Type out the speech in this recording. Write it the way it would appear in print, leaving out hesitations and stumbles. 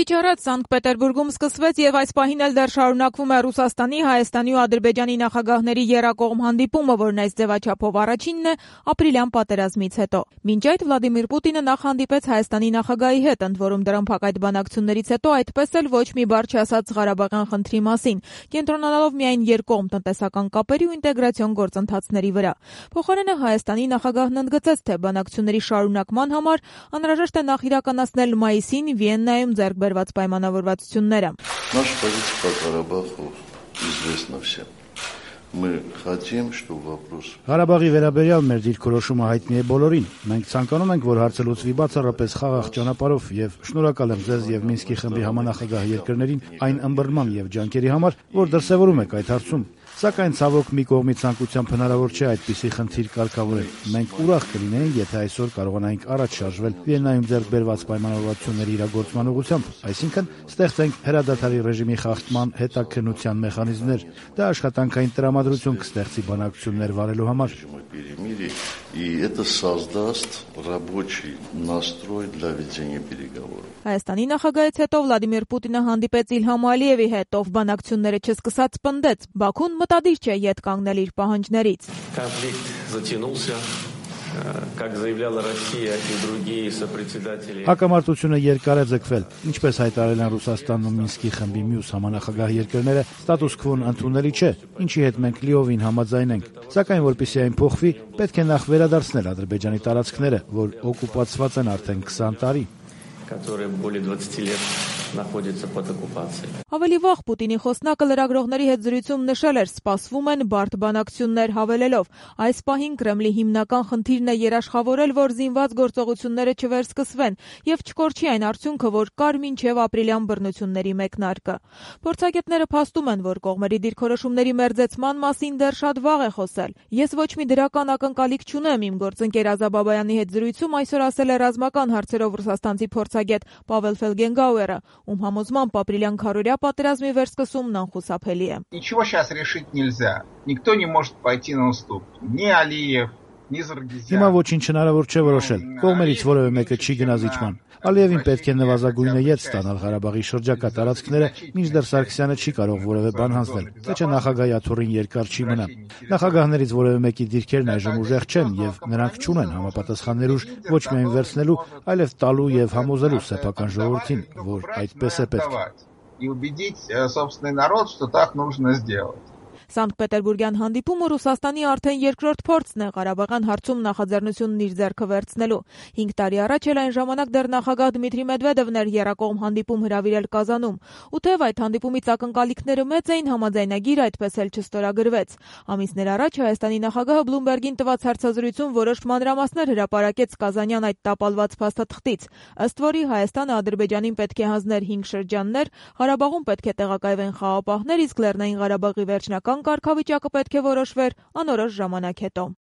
Քիչ առաջ Սանկտ Պետերբուրգում սկսվեց եւ այս պահին էլ դեռ շարունակվում է Ռուսաստանի, Հայաստանի ու Ադրբեջանի նախագահների եռակողմ հանդիպումը, որն այս ձևաչափով առաջինն է ապրիլյան պատերազմից հետո։ Մինչ այդ Վլադիմիր Պուտինը նախ հանդիպեց Հայաստանի նախագահի հետ, ընդ որում դրամփակ այդ բանակցություններից հետո այդպես էլ ոչ մի բառ չասաց Ղարաբաղյան խնդրի մասին, կենտրոնանալով միայն երկկողմ տնտեսական կապերի ու ինտեգրացիոն գործընթացների վրա։ Փոխարենը Հայաստանի նախագահն ընդգծեց, թե բանակցությունների շարունակման համար անհրաժեշտ է նախ իրականացնել մայիսին Վիեննայում ձեռք բերված պայմանավորվածությունները։ Наша позиция по Карабаху известна всем. Мы хотим, чтобы вопрос Ղարաբաղի վերաբերյալ մեր դիրքորոշումը հայտնի է բոլորին։ Մենք ցանկանում ենք, որ հարցը լուծվի բացառապես խաղաղ ճանապարհով եւ շնորհակալ եմ ձեզ եւ Մինսկի խմբի համանախագահ երկրներին այն ըմբռնման եւ ջանքերի համար, որ դրսեւորում եք այդ հարցում։ Սակայն ցավոք մի կողմի ցանկությամբ հնարավոր չէ այդպիսի խնդիր կարգավորել։ Մենք ուրախ կլինենք, եթե այսօր կարողանայինք առաջ շարժվել Վիեննայում ձեռք բերված պայմանավորվածությունների իրագործման ուղղությամբ, այսինքն ստեղծենք հրադադարի ռեժիմի խախտման հետաքննության մեխանիզմներ։ Դա աշխատանքային տրամադրություն կստեղծի բանակցություններ վարելու համար։ И это создаст рабочий настрой для ведения переговоров. Հայաստանի նախագահից հետո Վլադիմիր Պուտինը հանդիպեց Իլհամ Ալիևի հետ, ով բանակցությունները չսկսած պնդեց. Բաքուն մտադիր չէ ետ կանգնել իր պահանջներից։ Конфликт затянулся, как заявляла Россия и другие сопредседатели. Հակամարտությունը երկար է ձգվել, ինչպես հայտարարել են Ռուսաստանն ու Մինսկի խմբի մյուս համանախագահ երկրները, ստատուս քվոն ընդունելի չէ, ինչի հետ մենք լիովին համաձայն ենք։ Սակայն որպեսզի այն փոխվի, պետք է նախ վերադարձնել Ադրբեջանի տարածքները, որ օկուպացված են արդեն 20 տարի։ Которые более 20 лет находятся под оккупацией. Ավելի վաղ Պուտինի խոսնակը լրագրողների հետ զրույցում նշել էր, սպասվում են բարդ բանակցություններ, հավելելով. այս պահին Կրեմլի հիմնական խնդիրն է երաշխավորել, որ զինված գործողությունները չվերսկսվեն եւ չկորչի այն արդյունքը, որ կար մինչեւ ապրիլյան բռնությունների մեկնարկը։ Փորձագետները փաստում են, որ կողմերի դիրքորոշումների մերձեցման մասին դեռ շատ վաղ է խոսել։ Ես ոչ մի դրական ակնկալիք չունեմ, իմ գործընկեր Ազաբաբայանի հետ զրույցում այսօր ասել է ռազմական հարցերով ռուսաստանցի փորձագետ Պավել Ֆելգենգաուերը, ում համոզմամբ ապրիլյան քարորյա պատերազմի վերսկսումն անխուսափելի է։ Ничего сейчас решить нельзя. Никто не может пойти на уступки. Ни Алиев, ни Заргизян. Հիմա ոչինչ հնարավոր չէ որոշել։ Կողմերից որևէ մեկը չի գնա զիջման։ Ալիևին պետք է նվազագույնը ետ ստանալ Ղարաբաղի շրջակա տարածքները, մինչդեռ Սարգսյանը չի կարող որևէ բան հանձնել, թե չէ նախագահի աթոռին երկար չի մնա։ Նախագահներից որևէ մեկի դիրքերն այժմ ուժեղ չեն եւ նրանք չունեն համապատասխան ներուժ ոչ միայն վերցնելու, այլև տալու եւ համոզելու սեփական ժողովրդին, որ այդպես է պետք։ И убедить собственный народ, что так нужно сделать. Սանկտ Պետերբուրգյան հանդիպումը Ռուսաստանի արդեն երկրորդ փորձն է Ղարաբաղյան հարցում նախաձեռնությունն իր ձեռքը վերցնելու։ 5 տարի առաջ էլ այն ժամանակ դեռ նախագահ Դմիտրի Մեդվեդևն էր եռակողմ հանդիպում հրավիրել Կազանում։ Ու թեև այդ հանդիպումից ակնկալիքները մեծ էին, համաձայնագիր այդպես էլ չստորագրվեց։ Ամիսներ առաջ Հայաստանի նախագահը Բլումբերգին տված հարցազրույցում որոշ մանրամասներ հրապարակեց Կազանյան այդ տապալված փաստաթղթից, ըստ որի Հայաստանը Ադրբեջանին պետք է հանձներ 5 շրջաններ, Ղարաբաղում պետք է տեղակայվեն խաղաղապահներ, իսկ Լեռնային Ղարաբաղի վերջնական կարգավիճակը պետք է որոշվեր անորոշ ժամանակ հետո։